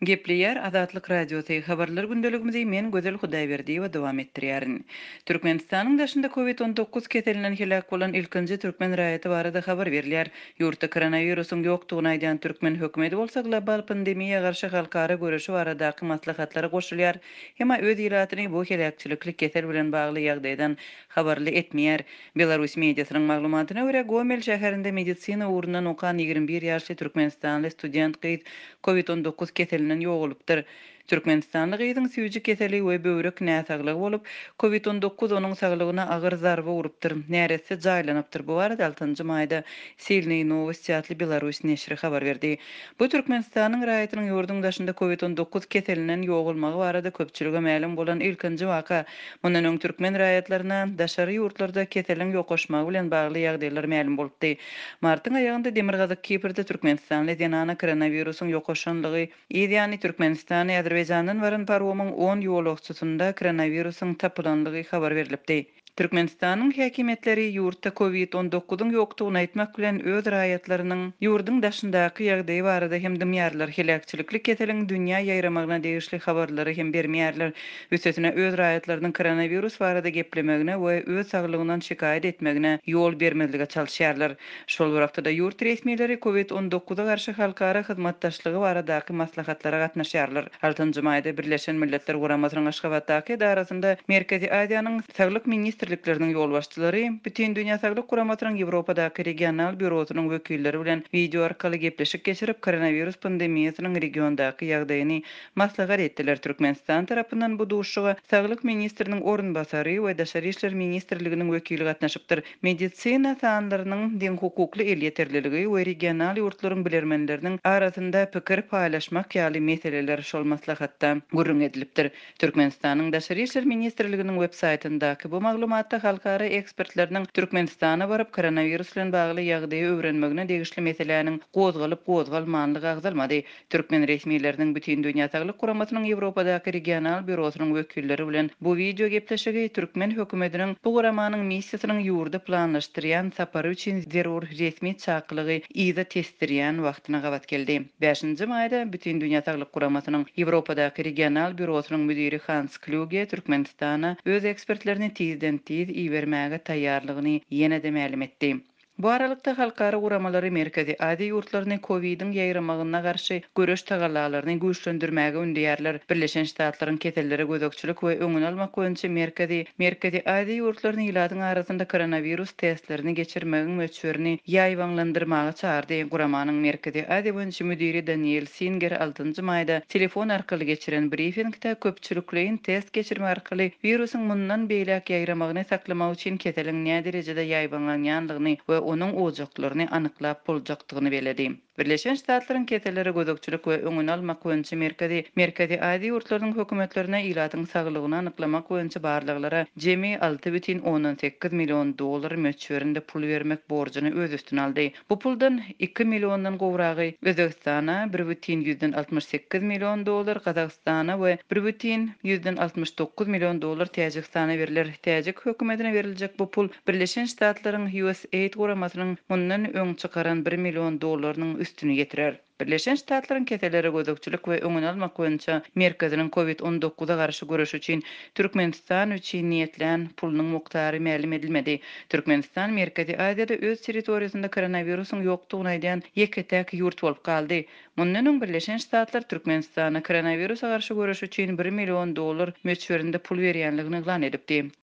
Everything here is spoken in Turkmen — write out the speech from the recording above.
Gepleýär Azatlyk Radiosy, Habarlar gündeligimizi men Gözel Hudaýberdiýewa dowam etdirýärin. Türkmenistanyň daşynda Covid 19 keselinden heläk bolan ilkinji türkmen raýaty barada habar berilýär. Ýurtda koronawirusyň ýokdugyny aýdýan türkmen hökümeti bolsa global pandemiýa garşy halkara göreşi baradaky maslahatlara goşulýar, emma öz ilatyny bu heläkçilikli kesel bilen bagly ýagdaýdan habarly etmeýär. Belarus mediasynyň maglumatyna görä, Gomel şäherinde medisina ugrundan okan 21 ýaşly türkmenistanly student gyz Covid 19 keselinden ýogalypdyr. Türkmenistanly gyzyň süýji keseli we böwrek näsaglygy bolup, Covid 19 onuň saglygyna agyr zarba urupdyr. Neresse jaýlanypdyr. Bu barada altynjy maýda Silnyý nowosti atly belarus neşiri habar berdi. Bu Türkmenistanyň raýatynyň ýurduň daşynda Covid 19 keselinden ýogalmagy barada köpçülige mälim bolan ilkinji waka. Mundan öň türkmen raýatlaryna daşary ýurtlarda keseliň ýokaşmagy bilen bagly ýagdaýlar mälim bolupdy. Martyň aýagynda Demirgazyk Kiprde türkmenistanly zenana koronawirusyň ýokaşanlygy, yz ýany Türkmenistana Azerbaýjandan baran paromyň on ýolagçysynda koronawirusyň tapylanlygy habar berlipdi. Türkmenistanyň häkimiýetleri ýurtda Covid 19-yň ýokdugyny aýtmak bilen, öz raýatlarynyň ýurduň daşyndaky ýagdaýy barada hem dymýarlar, heläkçilikli keseliň dünýä ýaýramagyna degişli habarlary hem bermeýärler. Üstesine, öz raýatlarynyň koronawirus barada geplemegine we öz saglygyndan şikaýat etmegine ýol bermezlige çalyşýarlar. Şol bir wagtda-da, ýurt resmileri Covid 19-a garşy halkara hyzmatdaşlygy baradaky maslahatlara gatnaşýarlar. Altynjy maýda Birleşen Milletler Guramasynyň Aşgabatdaky edarasynda Merkezi Aziýanyň Saglyk ministrlikleriniň ýolbaşçylary, Bütindünýä Saglyk Guramasynyň Ýewropadaky regional býurosynyň wekilleri bilen wideo arkaly gepleşik geçirip, koronawirus pandemiýasynyň regiondaky ýagdaýyny maslahat etdiler. Türkmenistan tarapyndan bu duşuşyga Saglyk ministriniň orunbasary we Daşary işler ministrliginiň wekili gatnaşypdyr. Medisina sanlarynyň deňhukukly elýeterliligi we regional ýurtlaryň bilermenleriniň arasynda pikir paýlaşmak ýaly meseleler şol maslahatda gürrüň edilipdir. Türkmenistanyň Daşary işler ministrliginiň web saýtyndaky bu maglumatda halkara ekspertleriniň Türkmenistana baryp, koronawirus bilen bagly ýagdaýy öwrenmegine degişli meseläniň gozgalyp-gozgalmanlygy agzalmady. Türkmen resmileriniň Bütindünýä Saglyk Guramasynyň Ýewropadaky regional býurosynyň wekilleri bilen bu wideo gepleşigi türkmen hökümetiniň bu guramanyň missiýasynyň ýurda planlaşdyrýan sapary üçin zerur resmi çakylygy yza tesdirýän wagtyna gabat geldi. Bäşinji maýda Bütindünýä Saglyk Guramasynyň Ýewropadaky regional býurosynyň müdiri Hans Klýuge Türkmenistana öz ekspertlerini tizden-tiz ibermäge taýýarlygyny ýene-de mälim etdi. Bu aralykda, halkara guramalary Merkezi Aziýa ýurtlaryny kowidiň ýaýramagyna garşy göreş tagallalaryny güýçlendirmäge ündeýärler. Birleşen Ştatlaryň Kesellere gözegçilik we öňüni almak boýunça merkezi Merkezi Aziýa ýurtlaryny ilatyň arasynda koronawirus testlerini geçirmegiň möçberini ýaýbaňlandyrmaga çagyrdy. Guramanyň Merkezi Aziýa boýunça müdiri Daniel Singer altynjy maýda telefon arkaly geçiren brifingde köpçülikleýin test geçirmek arkaly wirusyň mundan beýläk ýaýramagyny saklamak üçin keseliň näderejede ýaýbaňlanýandygyny we onuň ojaklaryny anyklap boljakdygyny belledi. Birleşen Ştatlaryň Kesellere gözegçilik we öňüni almak boýunça merkezi Merkezi Aziýa ýurtlarynyň hökümetlerine ilatyň saglygyny anyklamak boýunça barlaglara jemi 6,8 million dollar möçberinde pul bermek borjuny öz üstüne aldy. Bu puldan iki milliondan gowragy Özbegistana, 1,68 million dollar Gazagystana we 1,69 million dollar Täjigistana berler. Täjik hökümetine beriljek bu pul Birleşen Ştatlaryň USAID guramasynyň mundan öň çykaran bir million dollarynyň üstüni ýetirer. Birleşen Ştatlaryň Kesellere gözegçilik we öňüni almak boýunça merkeziniň Covid 19-a garşy göreş üçin Türkmenistan üçin niýetlän pulunyň mukdary mälim edilmedi. Türkmenistan Merkezi Aziýada öz territoriýasynda koronawirusyň ýokdugyny aýdýan ýeke-täk ýurt bolup galdy. Mundan öň Birleşen Ştatlar Türkmenistana koronawirusa garşy göreş üçin bir million dollar möçberinde pul berýänligini yglan edipdi.